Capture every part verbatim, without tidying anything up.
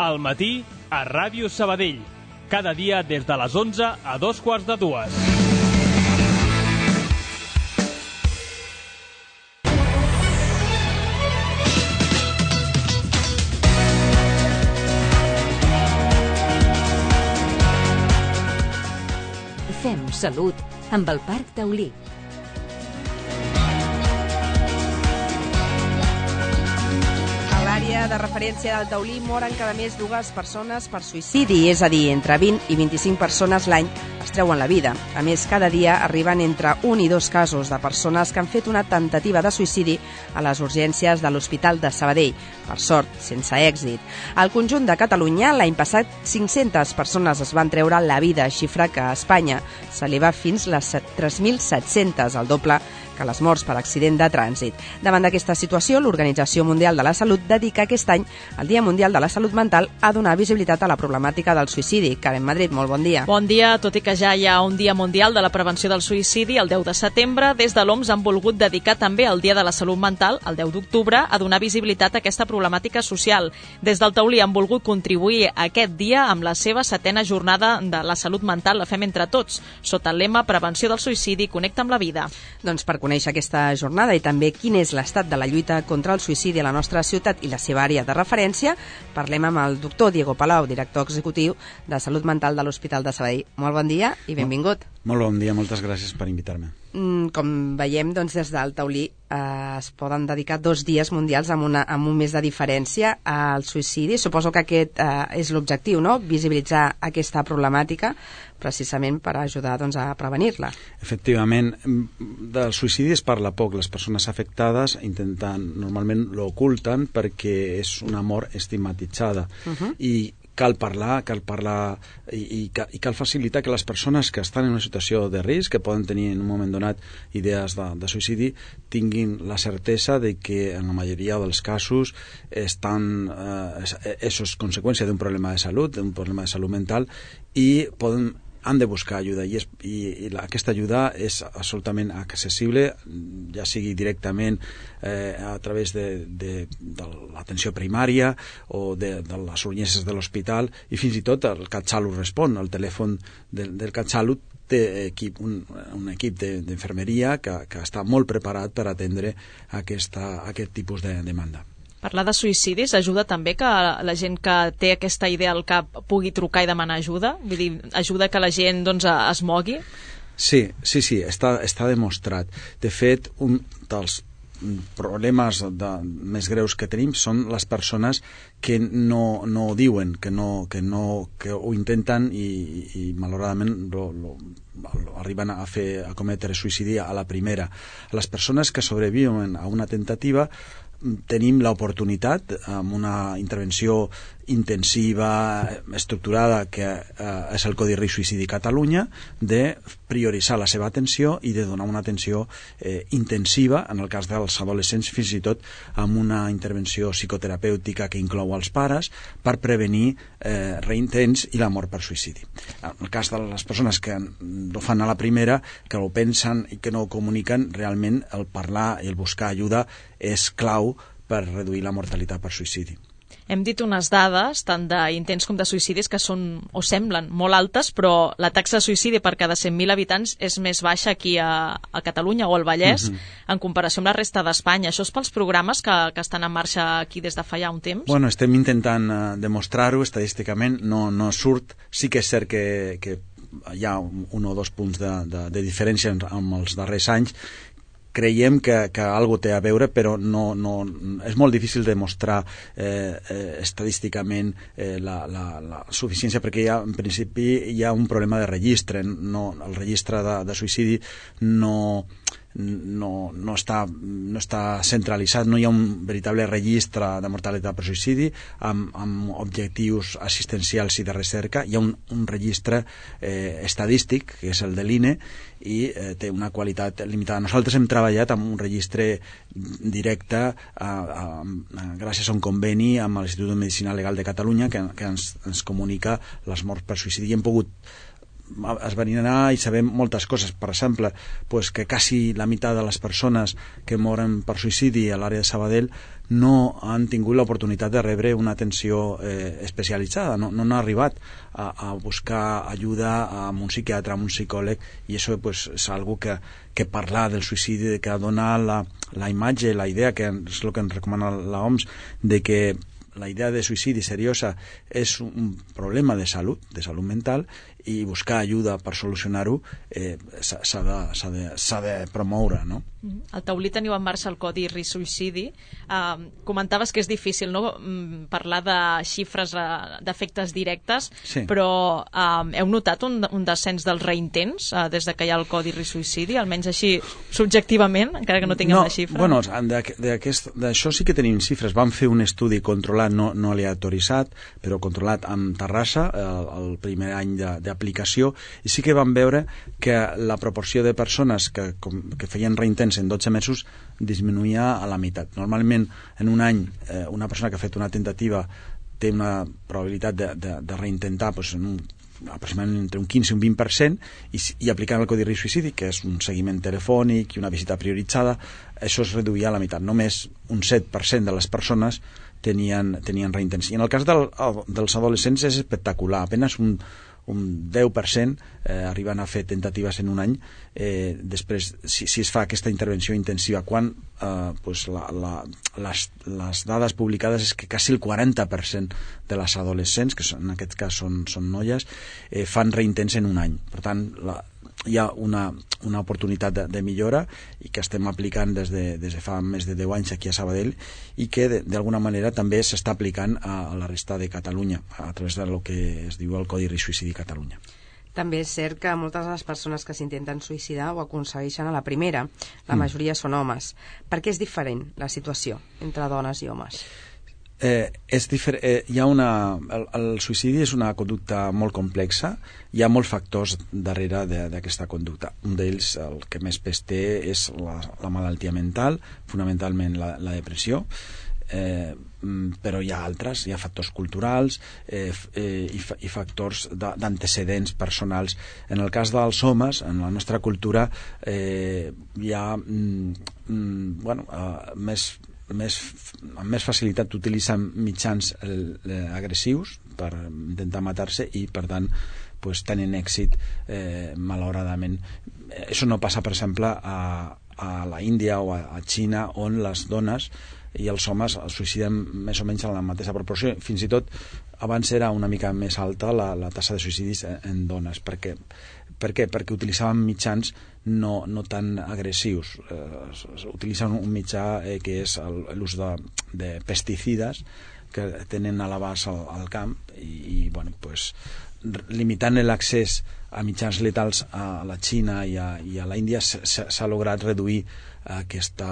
Al matí, a Ràdio Sabadell. Cada dia des de les onze a dos quarts de dues. Fem salut amb el Parc Taulí. A l'àrea de referència del Taulí moren cada mes dues persones per suïcidi, és a dir, entre vint i vint-i-cinc persones l'any es treuen la vida. A més, cada dia arriben entre un i dos casos de persones que han fet una tentativa de suïcidi a les urgències de l'Hospital de Sabadell, per sort, sense èxit. Al conjunt de Catalunya, l'any passat, cinc-centes persones es van treure la vida, xifra que a Espanya s'eleva fins les tres mil set-centes, el doble que les morts per accident de trànsit. Davant d'aquesta situació, l'Organització Mundial de la Salut dedica aquest any al Dia Mundial de la Salut Mental a donar visibilitat a la problemàtica del suïcidi. Karen Madrid, molt bon dia. Bon dia, tot i que ja hi ha un Dia Mundial de la Prevenció del Suïcidi, el deu de setembre, des de l'O M S han volgut dedicar també el Dia de la Salut Mental, el deu d'octubre, a donar visibilitat a aquesta problemàtica social. Des del Taulí han volgut contribuir a aquest dia amb la seva setena jornada de la salut mental, la fem entre tots, sota el lema Prevenció del Suïcidi, connecta amb la vida. Doncs per conèixer aquesta jornada i també quin és l'estat de la lluita contra el suïcidi a la nostra ciutat i la seva àrea de referència, parlem amb el doctor Diego Palau, director executiu de Salut Mental de l'Hospital de Sabadell. Molt bon dia i benvingut. Molt bon dia, moltes gràcies per invitar-me. Com veiem, doncs, des del Taulí eh, es poden dedicar dos dies mundials amb, una, amb un mes de diferència al suïcidi. Suposo que aquest eh, és l'objectiu, no?, visibilitzar aquesta problemàtica precisament per ajudar, doncs, a prevenir-la. Efectivament, del suïcidi es parla poc. Les persones afectades intenten, normalment l'oculten perquè és una mort estigmatitzada. Uh-huh. I cal parlar, cal parlar i, i, i cal facilitar que les persones que estan en una situació de risc, que poden tenir en un moment donat idees de, de suïcidi, tinguin la certesa de que en la majoria dels casos estan, eh, això és conseqüència d'un problema de salut, d'un problema de salut mental, i poden han de buscar ajuda i, és, i, i la, aquesta ajuda és absolutament accessible, ja sigui directament eh, a través de, de, de l'atenció primària o de, de les urgències de l'hospital, i fins i tot el CatSalut respon. El telèfon del, del CatSalut té equip, un, un equip d'infermeria que, que està molt preparat per atendre aquesta, aquest tipus de demanda. Parlar de suïcidis ajuda també que la gent que té aquesta idea al cap pugui trucar i demanar ajuda? Vull dir, ajuda que la gent, doncs, es mogui? Sí, sí, sí, està, està demostrat. De fet, un dels problemes de, més greus que tenim són les persones que no, no ho diuen, que, no, que, no, que ho intenten i, i malauradament lo, lo, lo arriben a, fer, a cometre suïcidi a la primera. Les persones que sobreviuen a una tentativa tenim l'oportunitat, amb una intervenció intensiva, estructurada, que eh, és el Codi Risc Suïcidi Catalunya, de prioritzar la seva atenció i de donar una atenció eh, intensiva, en el cas dels adolescents, fins i tot amb una intervenció psicoterapèutica que inclou els pares, per prevenir eh, reintents i la mort per suïcidi. En el cas de les persones que ho fan a la primera, que ho pensen i que no ho comuniquen, realment el parlar i el buscar ajuda és clau per reduir la mortalitat per suïcidi. Hem dit unes dades, tant d'intents com de suïcidis, que són o semblen molt altes, però la taxa de suïcidi per cada cent mil habitants és més baixa aquí a, a Catalunya o al Vallès, uh-huh, en comparació amb la resta d'Espanya. Això és pels programes que, que estan en marxa aquí des de fa ja un temps? Bueno, estem intentant uh, demostrar-ho estadísticament, no, no surt. Sí que és cert que, que hi ha un, un o dos punts de, de, de diferència amb els darrers anys. Creiem que, que algo té a veure, però no, no, és molt difícil demostrar eh, eh, estadísticament eh, la, la, la suficiència, perquè hi ha, en principi hi ha un problema de registre. No, el registre de, de suïcidi no, no, no, està, no està centralitzat, no hi ha un veritable registre de mortalitat per suïcidi amb, amb objectius assistencials i de recerca. Hi ha un, un registre eh, estadístic, que és el de l'I N E, i eh, té una qualitat limitada. Nosaltres hem treballat amb un registre directe a, a, a, gràcies a un conveni amb l'Institut de Medicina Legal de Catalunya que, que ens, ens comunica les morts per suïcidi, i hem pogut esbrinarà i sabem moltes coses. Per exemple, pues, que quasi la meitat de les persones que moren per suïcidi a l'àrea de Sabadell no han tingut l'oportunitat de rebre una atenció eh, especialitzada, no, no han arribat a, a buscar ajuda amb un psiquiatre, amb un psicòleg, i això pues, és algo que, que parlar del suïcidi, que donar la, la imatge, la idea, que és el que ens recomana l'O M S, de que la idea de suïcidi seriosa és un problema de salut, de salut mental, i buscar ajuda per solucionar-ho eh, s'ha de, s'ha de, s'ha de promoure, no? Al Taulí teniu en marxa el Codi Risc Suïcidi. Uh, comentaves que és difícil, no?, parlar de xifres uh, d'efectes directes, sí. però uh, heu notat un, un descens dels reintents uh, des de que hi ha el Codi Risc Suïcidi, almenys així subjectivament, encara que no tinguem no, la xifra? Bueno, d'això sí que tenim xifres. Vam fer un estudi controlat, no, no aleatoritzat, però controlat amb Terrassa el, el primer any de, d'aplicació, i sí que vam veure que la proporció de persones que, com, que feien reintents en dotze mesos disminuïa a la meitat. Normalment, en un any, eh, una persona que ha fet una tentativa té una probabilitat de, de, de reintentar pues, en un, aproximadament entre un quinze i un vint per cent, i, i aplicant el Codi Risc Suïcidi, que és un seguiment telefònic i una visita prioritzada, això es reduïa a la meitat. Només un set per cent de les persones tenien, tenien reintents. I en el cas del, dels adolescents és espectacular. Apenas un un deu per cent eh, arriben a fer tentatives en un any eh, després, si, si es fa aquesta intervenció intensiva, quan eh, pues la, la, les, les dades publicades és que quasi el quaranta per cent de les adolescents, que són, en aquest cas són, són noies, eh, fan reintents en un any. Per tant, la, hi ha una, una oportunitat de, de millora i que estem aplicant des de, des de fa més de deu anys aquí a Sabadell, i que d'alguna manera també s'està aplicant a, a la resta de Catalunya a través del que es diu el Codi Risc Suïcidi Catalunya. També és cert que moltes de les persones que s'intenten suïcidar ho aconsegueixen a la primera. La majoria mm. són homes. Per què és diferent la situació entre dones i homes? Eh, és difer- eh, hi ha una, el, el suïcidi és una conducta molt complexa, hi ha molts factors darrere de, d'aquesta conducta. Un d'ells, el que més pes té, és la, la malaltia mental, fonamentalment la, la depressió, eh, però hi ha altres, hi ha factors culturals eh, eh, i, fa, i factors de, d'antecedents personals. En el cas dels homes, en la nostra cultura, eh, hi ha mm, bueno, eh, més Més, amb més facilitat utilitzen mitjans eh, agressius per intentar matar-se i per tant pues, tenen èxit eh, malauradament. Això no passa, per exemple, a, a la Índia o a, a Xina, on les dones i els homes es suïciden més o menys en la mateixa proporció. Fins i tot abans era una mica més alta la, la tassa de suïcidis en, en dones. Per què? Per què? Perquè utilitzaven mitjans no, no tan agressius. Eh, utilitzen un mitjà eh, que és el, l'ús de, de pesticides que tenen a l'abast al, al camp i, i bueno, pues, limitant l'accés a mitjans letals a la Xina i a, i a la Índia s'ha, s'ha lograt reduir aquesta,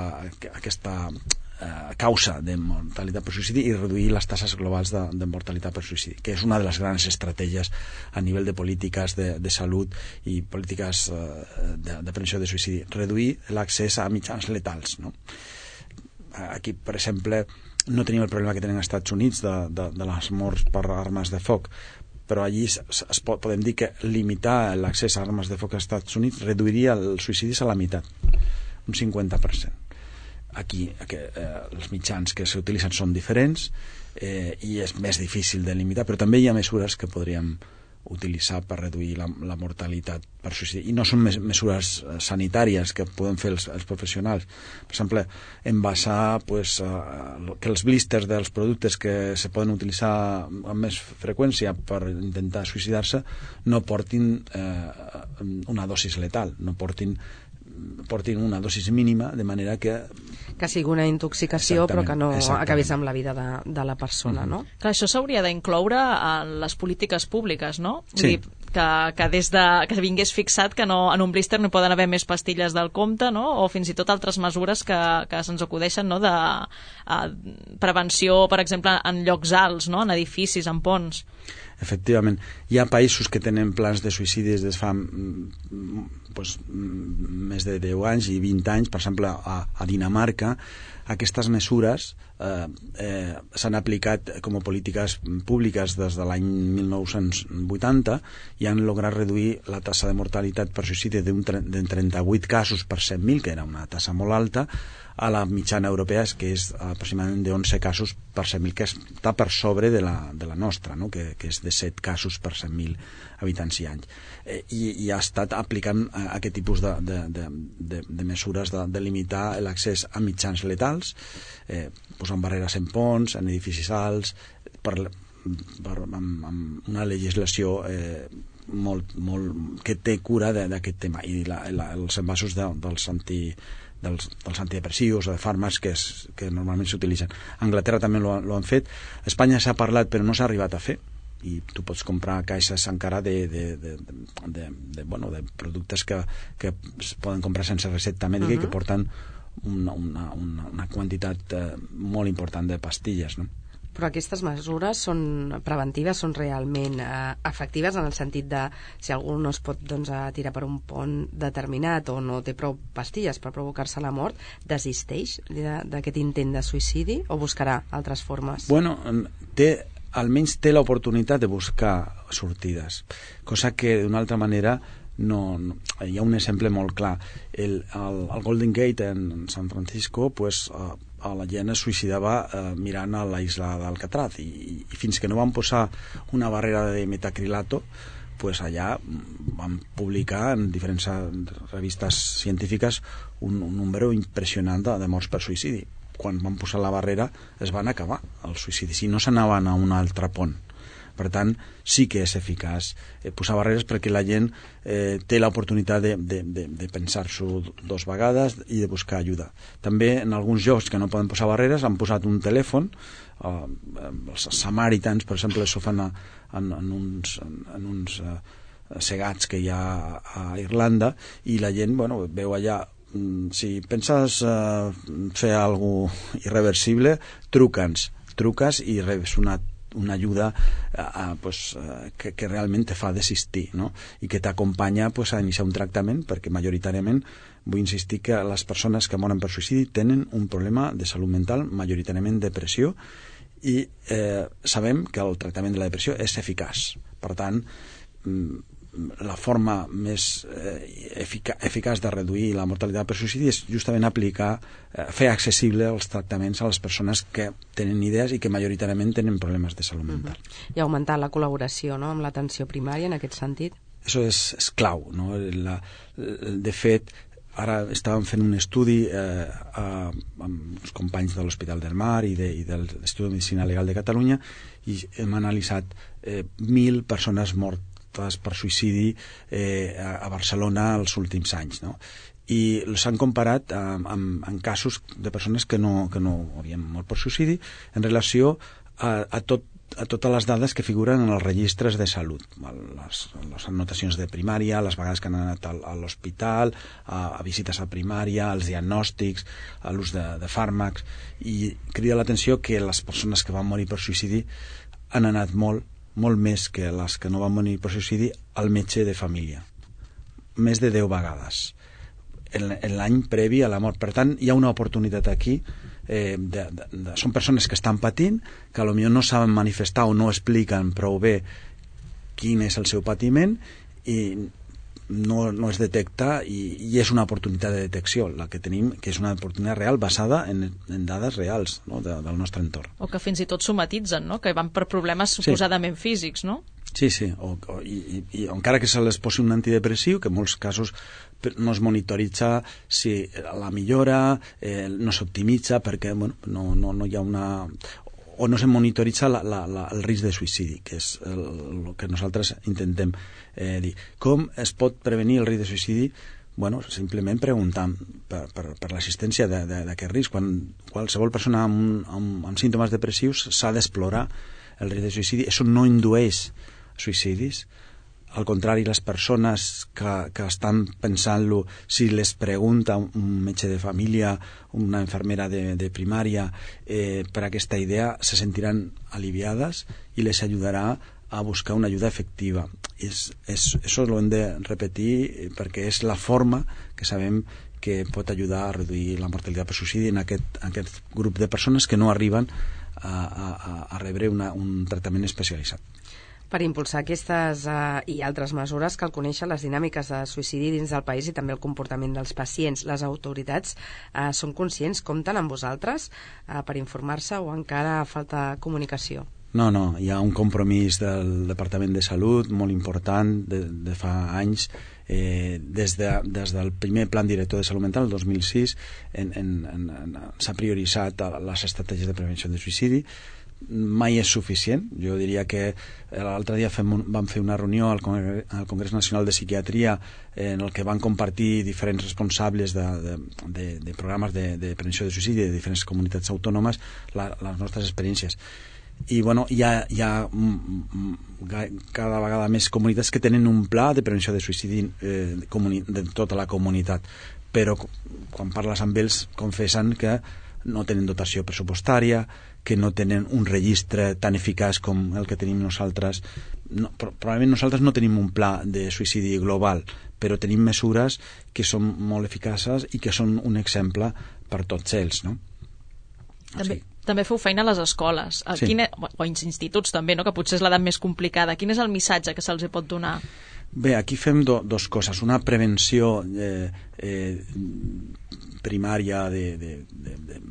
aquesta eh, causa de mortalitat per suïcidi i reduir les tasses globals de, de mortalitat per suïcidi, que és una de les grans estratègies a nivell de polítiques de, de salut i polítiques eh, de, de prevenció de suïcidi, reduir l'accés a mitjans letals, no? Aquí, per exemple, no tenim el problema que tenen als Estats Units de, de, de les morts per armes de foc, però allí es, es pot, podem dir que limitar l'accés a armes de foc als Estats Units reduiria els suïcidis a la meitat, un cinquanta per cent. Aquí que, eh, els mitjans que s'utilitzen són diferents eh, i és més difícil de limitar, però també hi ha mesures que podríem utilitzar per reduir la, la mortalitat per suïcidi, i no són mes, mesures sanitàries que poden fer els, els professionals. Per exemple, envasar pues, uh, que els blísters dels productes que se poden utilitzar amb més freqüència per intentar suïcidar-se no portin eh, una dosis letal, no portin portin una dosis mínima, de manera que que sigui una intoxicació però que no acabés amb la vida de, de la persona, mm-hmm. no? Clar, això s'hauria d'incloure en les polítiques públiques, no? Sí. Vull dir, que, que des de que vingués fixat que no, en un blíster no poden haver més pastilles del compte, no? O fins i tot altres mesures que, que se'ns acudeixen, no? De a, prevenció, per exemple, en llocs alts, no? En edificis, en ponts. Efectivament, hi ha països que tenen plans de suïcidi des de fa pues, més de deu anys i vint anys. Per exemple, a, a Dinamarca aquestes mesures eh, eh, s'han aplicat com a polítiques públiques des de l'any mil nou-cents vuitanta i han lograt reduir la tassa de mortalitat per suïcidi d'un trenta-vuit casos per cent mil, que era una tassa molt alta, a la mitjana europea, que és aproximadament d'onze casos per cent mil, que està per sobre de la, de la nostra, no? que, que és de set casos per cent mil habitants i anys. Eh, i, I ha estat aplicant eh, aquest tipus de, de, de, de, de mesures de, de limitar l'accés a mitjans letals, eh, posant barreres en ponts, en edificis alts, per, per, amb, amb una legislació eh, molt, molt, que té cura d'aquest tema, i la, la, els envasos de, dels anti dels, dels antidepressius o de fàrmacs que, és, que normalment s'utilitzen. A Anglaterra també lo, lo han fet. A Espanya s'ha parlat però no s'ha arribat a fer, i tu pots comprar caixes encara de, de, de, de, de, bueno, de productes que, que es poden comprar sense recepta mèdica, uh-huh. i que porten una, una, una, una quantitat eh, molt important de pastilles, no? Però aquestes mesures són preventives, són realment eh, efectives, en el sentit de si algú no es pot doncs, tirar per un pont determinat o no té prou pastilles per provocar-se la mort, desisteix d'aquest intent de suïcidi o buscarà altres formes? Bueno, té, almenys té l'oportunitat de buscar sortides, cosa que d'una altra manera no, no, hi ha un exemple molt clar. El, el, el Golden Gate en San Francisco, pues, uh, la gent es suïcidava eh, mirant a la isla d'Alcatraz, i, i fins que no van posar una barrera de metacrilato, pues allà van publicar en diferents revistes científiques un, un número impressionant de, de morts per suïcidi. Quan van posar la barrera es van acabar els suïcidis i no s'anaven a un altre pont. Per tant, sí que és eficaç eh, posar barreres, perquè la gent eh, té l'oportunitat de, de, de, de pensar-s'ho dos vegades i de buscar ajuda. També en alguns llocs que no poden posar barreres han posat un telèfon, eh, els samaritans, per exemple, això fan a, en, en uns, en, en uns eh, segats que hi ha a Irlanda, i la gent, bueno, veu allà, si penses eh, fer alguna cosa irreversible, truca'ns, truques i rebes una una ajuda eh, pues, eh, que, que realment te fa desistir, no? I que t'acompanya pues, a iniciar un tractament, perquè majoritàriament vull insistir que les persones que moren per suïcidi tenen un problema de salut mental, majoritàriament depressió, i eh, sabem que el tractament de la depressió és eficaç. Per tant, la forma més eh, efica eficaç de reduir la mortalitat per suïcidi és justament aplicar, eh, fer accessible els tractaments a les persones que tenen idees i que majoritàriament tenen problemes de salut mental. Uh-huh. I augmentar la col·laboració, no?, amb l'atenció primària en aquest sentit. Això és, és clau, no? La, de fet, ara estàvem fent un estudi eh, a, amb els companys de l'Hospital del Mar i, de, i de l'Institut de Medicina Legal de Catalunya, i hem analitzat eh, mil persones mortes per suïcidi eh, a Barcelona els últims anys, no? I s'han comparat amb, amb, amb casos de persones que no, que no havien mort per suïcidi en relació a, a, tot, a totes les dades que figuren en els registres de salut, les, les anotacions de primària, les vegades que han anat a, a l'hospital, a, a visites a primària, als diagnòstics, a l'ús de, de fàrmacs, i crida l'atenció que les persones que van morir per suïcidi han anat molt molt més que les que no van morir per suïcidi al metge de família, més de deu vegades en, en l'any previ a la mort. Per tant, hi ha una oportunitat aquí, eh, de, de, de, són persones que estan patint, que potser no saben manifestar o no expliquen prou bé quin és el seu patiment, i no, no es detecta, i, i és una oportunitat de detecció la que tenim, que és una oportunitat real basada en, en dades reals, no?, de, del nostre entorn. O que fins i tot somatitzen, no?, que van per problemes suposadament sí. físics, no? Sí, sí, o, o, i, i, i encara que se les posi un antidepressiu, que en molts casos no es monitoritza si la millora, eh, no s'optimitza perquè bueno, no, no, no hi ha una... o no se monitoritza la, la, la, el risc de suïcidi, que és el, el que nosaltres intentem eh, dir. Com es pot prevenir el risc de suïcidi? Bueno, simplement preguntant per, per, per l'assistència d'aquest risc. Quan qualsevol persona amb, amb, amb símptomes depressius s'ha d'explorar el risc de suïcidi. Això no indueix suïcidis. Al contrari, les persones que, que estan pensant-lo, si les pregunta un metge de família, una infermera de, de primària, eh, per aquesta idea, se sentiran aliviades i les ajudarà a buscar una ajuda efectiva. És, és, això ho hem de repetir perquè és la forma que sabem que pot ajudar a reduir la mortalitat per suïcidi en aquest, en aquest grup de persones que no arriben a, a, a rebre una, un tractament especialitzat. Per impulsar aquestes uh, i altres mesures cal conèixer les dinàmiques de suïcidi dins del país i també el comportament dels pacients. Les autoritats uh, són conscients, compten amb vosaltres uh, per informar-se o encara falta comunicació? No, no, hi ha un compromís del Departament de Salut molt important de, de fa anys. Eh, des, de, des del primer Plan Director de Salut Mental, el dos mil sis, en, en, en, en, s'ha prioritzat les estratègies de prevenció de suïcidi. Mai és suficient. Jo diria que l'altre dia fem un, vam fer una reunió al Congrés, al Congrés Nacional de Psiquiatria en el que van compartir diferents responsables de, de, de, de programes de, de prevenció de suïcidi de diferents comunitats autònomes, la, les nostres experiències. I bueno, hi ha, hi ha cada vegada més comunitats que tenen un pla de prevenció de suïcidi eh, de tota la comunitat, però quan parles amb ells confessen que no tenen dotació pressupostària, que no tenen un registre tan eficaç com el que tenim nosaltres. No, probablement nosaltres no tenim un pla de suïcidi global, però tenim mesures que són molt eficaces i que són un exemple per tots ells, no? També, sí. També feu feina a les escoles, a sí. quina, o als instituts també, no? Que potser és l'edat més complicada. Quin és el missatge que se'ls pot donar? Bé, aquí fem do, dos coses. Una prevenció eh, eh, primària de, de, de, de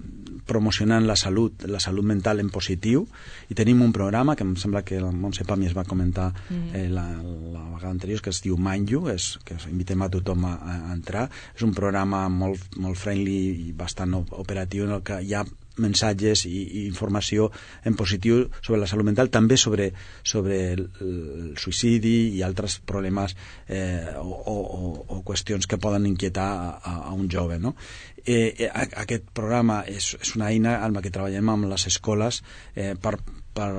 promocionant la salut, la salut mental en positiu, i tenim un programa que em sembla que la Montse Pami es va comentar eh, la, la vegada anterior, que es diu Mind You, és, que invitem a tothom a, a entrar. És un programa molt, molt friendly i bastant operatiu en el que hi ha mensatges i, i informació en positiu sobre la salut mental, també sobre, sobre el, el suïcidi i altres problemes eh, o, o, o qüestions que poden inquietar a, a un jove, no? Eh, aquest programa és, és una eina amb la que treballem amb les escoles eh, per, per,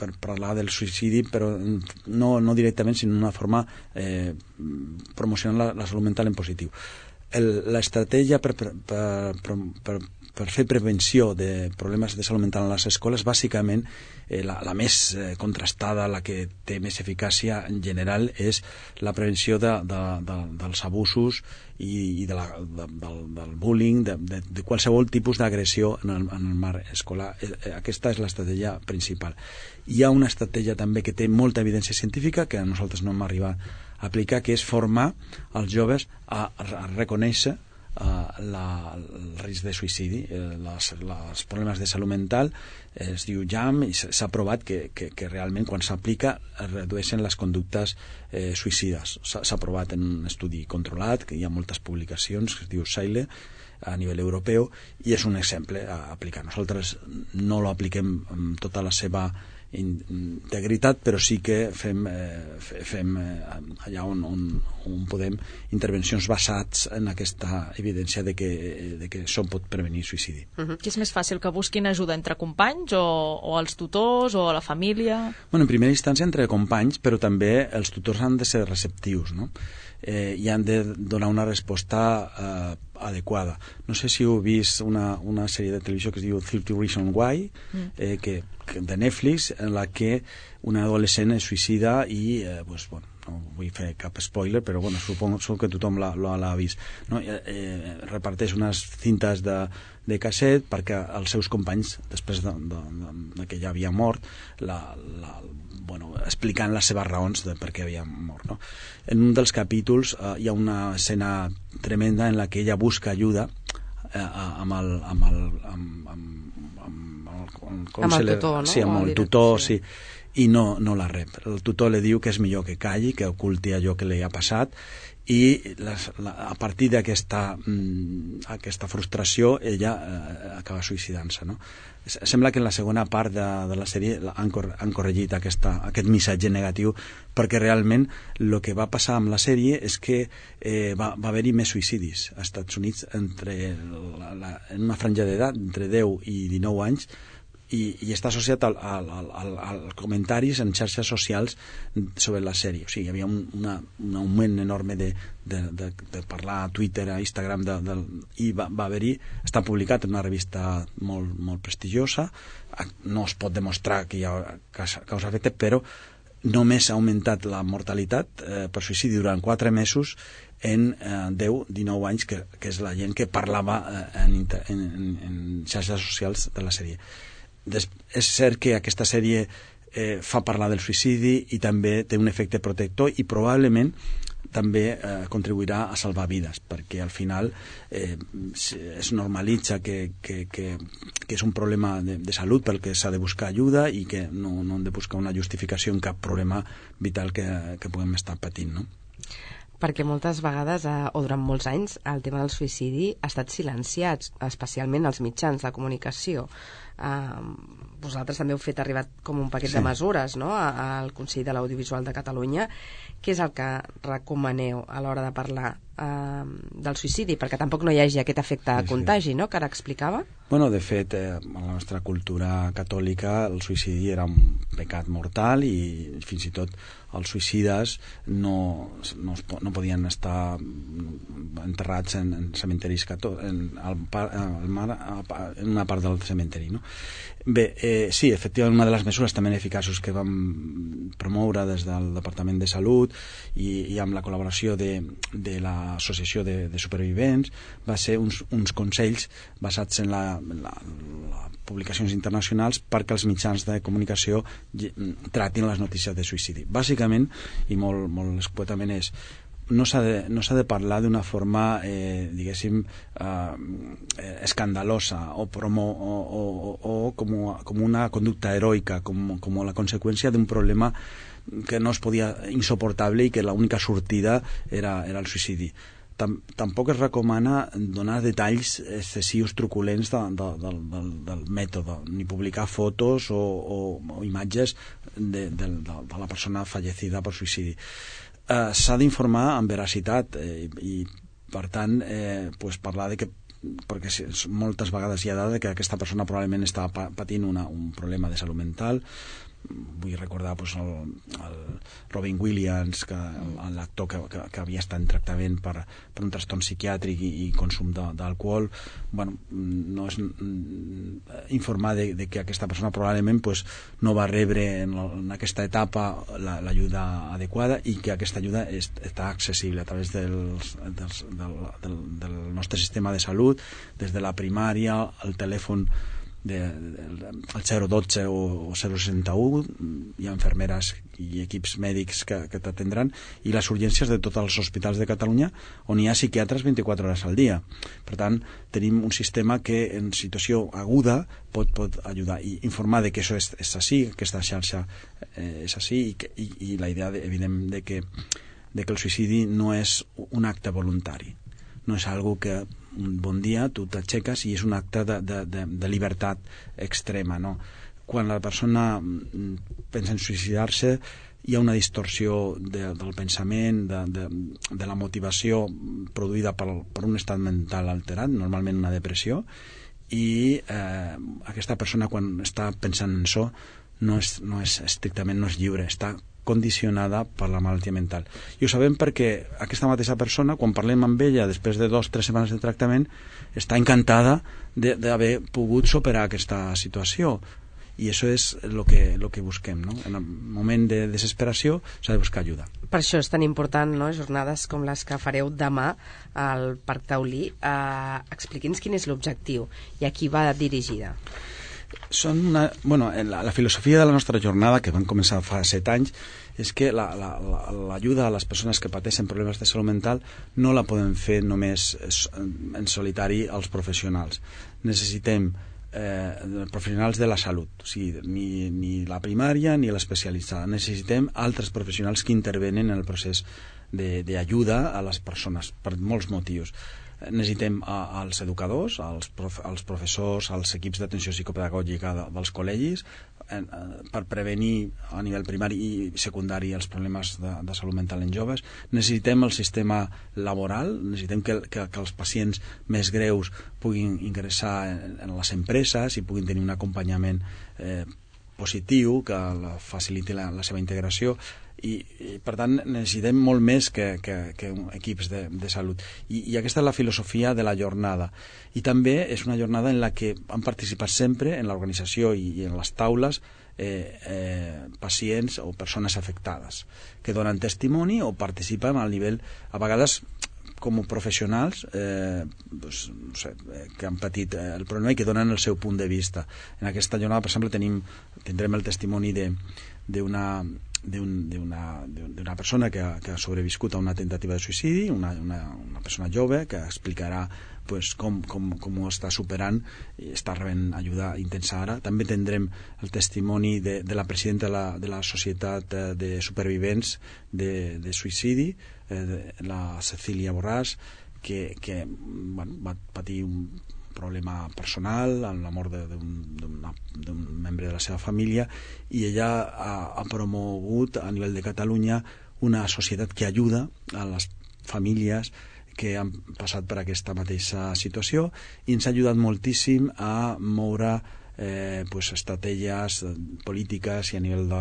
per parlar del suïcidi, però no, no directament, sinó d'una forma eh, promocionant la, la salut mental en positiu. L'estratègia per, per, per, per, per fer prevenció de problemes de salut mental a les escoles, bàsicament eh, la, la més eh, contrastada, la que té més eficàcia en general, és la prevenció de, de, de, dels abusos i, i de la, de, del, del bullying, de, de, de qualsevol tipus d'agressió en, el, en el marc escolar. Aquesta és l'estratègia principal. Hi ha una estratègia també que té molta evidència científica, que nosaltres no hem arribat a aplicar, que és formar els joves a, a reconèixer Uh, la, el risc de suïcidi, eh, les, les problemes de salut mental, eh, es diu J A M, i s'ha provat que, que, que realment quan s'aplica es redueixen les conductes eh, suïcides. S'ha provat en un estudi controlat, que hi ha moltes publicacions, que es diu SAILE, a nivell europeu, i és un exemple a aplicar. Nosaltres no lo apliquem amb tota la seva integritat, però sí que fem, eh, fem eh, allà on, on, on podem intervencions basats en aquesta evidència de que, de que això pot prevenir suïcidi. Uh-huh. Què és més fàcil, que busquin ajuda entre companys o, o els tutors o la família? Bueno, en primera instància entre companys, però també els tutors han de ser receptius, no? Eh, i han de donar una resposta eh, adequada. No sé si heu vist una, una sèrie de televisió que es diu thirty Reasons Why, eh, que, que de Netflix, en la que una adolescent es suïcida i, eh, pues, bueno, no vull fer cap spoiler, però bueno, suposo que tothom l'ha vist, no? eh, eh, reparteix unes cintes de, de casset perquè els seus companys, després de, de, de, de que ja havia mort, la, la, bueno, explicant les seves raons de per què havia mort, no? En un dels capítols eh, hi ha una escena tremenda en la que ella busca ajuda eh, amb el amb el, amb, amb, amb el, amb el tutor, no? Sí, amb el tutor, sí, i no, no la rep. El tutor li diu que és millor que calli, que oculti allò que li ha passat, i les, la, a partir d'aquesta mm, aquesta frustració ella eh, acaba suïcidant-se, no? Sembla que en la segona part de, de la sèrie han, cor, han corregit aquesta, aquest missatge negatiu, perquè realment el que va passar amb la sèrie és que eh, va, va haver-hi més suïcidis als Estats Units entre la, la, en una franja d'edat entre deu i dinou anys, i, i està associat al, al, al, al comentaris en xarxes socials sobre la sèrie. O sigui, hi havia un, una, un augment enorme de, de, de, de parlar a Twitter, a Instagram, de, de, i va, va haver-hi, està publicat en una revista molt, molt prestigiosa. No es pot demostrar que hi ha causa-efecte, però només ha augmentat la mortalitat eh, per suïcidi durant quatre mesos en eh, deu a dinou anys, que, que és la gent que parlava eh, en, en, en xarxes socials de la sèrie. Des, és cert que aquesta sèrie eh, fa parlar del suïcidi i també té un efecte protector i probablement també eh, contribuirà a salvar vides, perquè al final eh, es normalitza que, que, que, que és un problema de, de salut pel que s'ha de buscar ajuda i que no, no hem de buscar una justificació en cap problema vital que, que puguem estar patint, no? Perquè moltes vegades, eh, o durant molts anys, el tema del suïcidi ha estat silenciat, especialment als mitjans de comunicació. Eh, vosaltres també heu fet arribar com un paquet sí. de mesures, no?, al Consell de l'Audiovisual de Catalunya. Què és el que recomaneu a l'hora de parlar eh, del suïcidi? Perquè tampoc no hi hagi aquest efecte sí, contagi, sí. no?, que ara explicava. Bueno, de fet, eh, en la nostra cultura catòlica el suïcidi era un pecat mortal i fins i tot els suïcides no, no, es, no podien estar enterrats en, en cementiris cató, en, al, al mar, en una part del cementeri, no? Bé, eh, sí, efectivament, una de les mesures també eficaços que vam promoure des del Departament de Salut i, i amb la col·laboració de, de l'Associació de, de Supervivents va ser uns, uns consells basats en, la, en, la, en la publicacions internacionals perquè els mitjans de comunicació tratin les notícies de suïcidi. Bàsicament, i molt, molt escuetament, és no s'ha de, no s'ha de parlar d'una forma eh, diguéssim eh, escandalosa o, promo, o, o, o com, com una conducta heroica, com, com la conseqüència d'un problema que no es podia, insoportable, i que l'única sortida era, era el suïcidi. Tam, tampoc es recomana donar detalls excessius truculents de, de, de, del, del mètode, ni publicar fotos o, o, o imatges de, de, de, de la persona fallecida per suïcidi. Uh, s'ha d'informar amb veracitat eh, i per tant eh, pues parlar de que, perquè moltes vegades hi ha dada que aquesta persona probablement estava patint una, un problema de salut mental. Vull recordar pues, el, el Robin Williams, que l'actor que, que, que havia estat en tractament per, per un trastorn psiquiàtric i, i consum d'alcohol. Bueno, no és informar de, de que aquesta persona probablement pues, no va rebre en, en aquesta etapa l'ajuda la, adequada i que aquesta ajuda és, està accessible a través dels, dels, del, del, del nostre sistema de salut, des de la primària, el telèfon de, de, el zero dotze o, o zero seixanta u, hi ha infermeres i equips mèdics que, que t'atendran, i les urgències de tots els hospitals de Catalunya on hi ha psiquiatres vint-i-quatre hores al dia. Per tant, tenim un sistema que en situació aguda pot, pot ajudar i informar de que això és, és així, aquesta xarxa eh, és així, i, que, i, i la idea de, evident de que, de que el suïcidi no és un acte voluntari, no és algo que un bon dia tu t'aixeques i és un acte de, de, de, de llibertat extrema, no? Quan la persona pensa en suïcidar-se hi ha una distorsió de, del pensament, de, de, de la motivació produïda per, per un estat mental alterat, normalment una depressió, i eh, aquesta persona quan està pensant en això no és, no és estrictament no és lliure, està condicionada per la malaltia mental. I ho sabem perquè aquesta mateixa persona, quan parlem amb ella després de dos o tres setmanes de tractament, està encantada d'haver pogut superar aquesta situació. I això és el que, lo que busquem, no? En el moment de desesperació s'ha de buscar ajuda. Per això és tan important, no?, jornades com les que fareu demà al Parc Taulí. Eh, Expliqui'ns quin és l'objectiu i a qui va dirigida. Són una, bueno, la, la filosofia de la nostra jornada, que van començar fa set anys, és que l'ajuda la, la, a les persones que pateixen problemes de salut mental no la podem fer només en solitari els professionals. Necessitem eh, professionals de la salut, o sigui, ni, ni la primària ni l'especialitzada. Necessitem altres professionals que intervenen en el procés d'ajuda a les persones per molts motius. Necessitem a, als educadors, als, prof, als professors, als equips d'atenció psicopedagògica de, dels col·legis, eh, per prevenir a nivell primari i secundari els problemes de, de salut mental en joves. Necessitem el sistema laboral, necessitem que, que, que els pacients més greus puguin ingressar en, en les empreses i puguin tenir un acompanyament eh, positiu que la, faciliti la, la seva integració. I, i per tant necessitem molt més que, que, que equips de, de salut I, i aquesta és la filosofia de la jornada, i també és una jornada en la que han participat sempre en l'organització i, i en les taules eh, eh, pacients o persones afectades que donen testimoni o participen al nivell, a vegades com a professionals eh, doncs, no sé, eh, que han patit eh, el problema i que donen el seu punt de vista. En aquesta jornada, per exemple, tenim, tindrem el testimoni d'una d'una persona que ha, que ha sobreviscut a una tentativa de suïcidi, una, una, una persona jove que explicarà pues, com, com, com ho està superant i està rebent ajuda intensa ara. També tindrem el testimoni de, de la presidenta de la, de la Societat de Supervivents de, de Suïcidi, eh, la Cecília Borràs, que, que bueno, va patir un problema personal, amb la mort d'un membre de la seva família, i ella ha, ha promogut a nivell de Catalunya una societat que ajuda a les famílies que han passat per aquesta mateixa situació, i ens ha ajudat moltíssim a moure eh, pues, estratègies polítiques i a nivell de,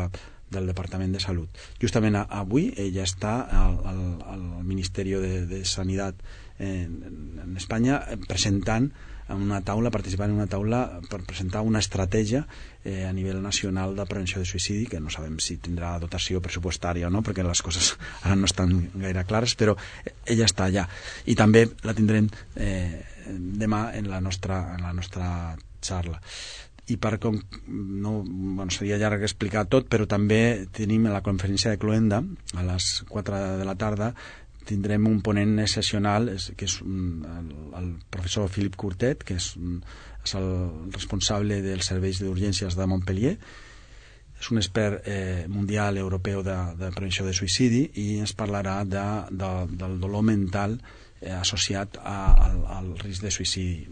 del Departament de Salut. Justament avui ella està al, al, al Ministeri de, de Sanitat en, en Espanya presentant en una taula, participant en una taula per presentar una estratègia eh, a nivell nacional de prevenció de suïcidi, que no sabem si tindrà dotació pressupostària o no, perquè les coses ara no estan gaire clares, però ella està allà. I també la tindrem eh, demà en la nostra, en la nostra xarra. I per com no, bueno, seria llarg explicar tot, però també tenim la conferència de Cloenda a les quatre de la tarda. Tindrem un ponent excepcional, que és el, el professor Philippe Courtet, que és, és el responsable dels serveis d'urgències de Montpellier. És un expert eh, mundial europeu de, de prevenció de suïcidi, i ens parlarà de, de, del dolor mental eh, associat a, al, al risc de suïcidi,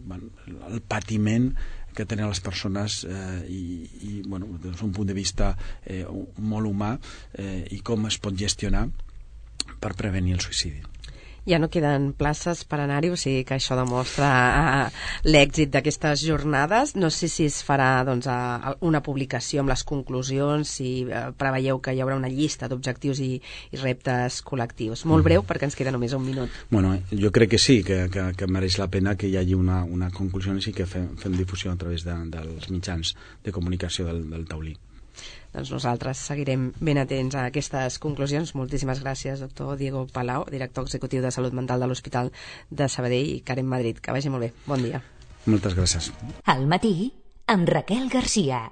bueno, el patiment que tenen les persones eh, i, i bueno, des d'un punt de vista eh, molt humà, eh, i com es pot gestionar per prevenir el suïcidi. Ja no queden places per anar-hi, o sigui que això demostra uh, l'èxit d'aquestes jornades. No sé si es farà doncs, uh, una publicació amb les conclusions, si uh, preveieu que hi haurà una llista d'objectius i, i reptes col·lectius. Molt breu, perquè ens queda només un minut. Bueno, jo crec que sí, que, que, que mereix la pena que hi hagi una, una conclusió i que fem, fem difusió a través de, dels mitjans de comunicació del, del taulí. Doncs nosaltres seguirem ben atents a aquestes conclusions. Moltíssimes gràcies, doctor Diego Palau, director executiu de Salut Mental de l'Hospital de Sabadell, i Karen Madrid. Que vagi molt bé. Bon dia. Moltes gràcies. Al matí, amb Raquel Garcia.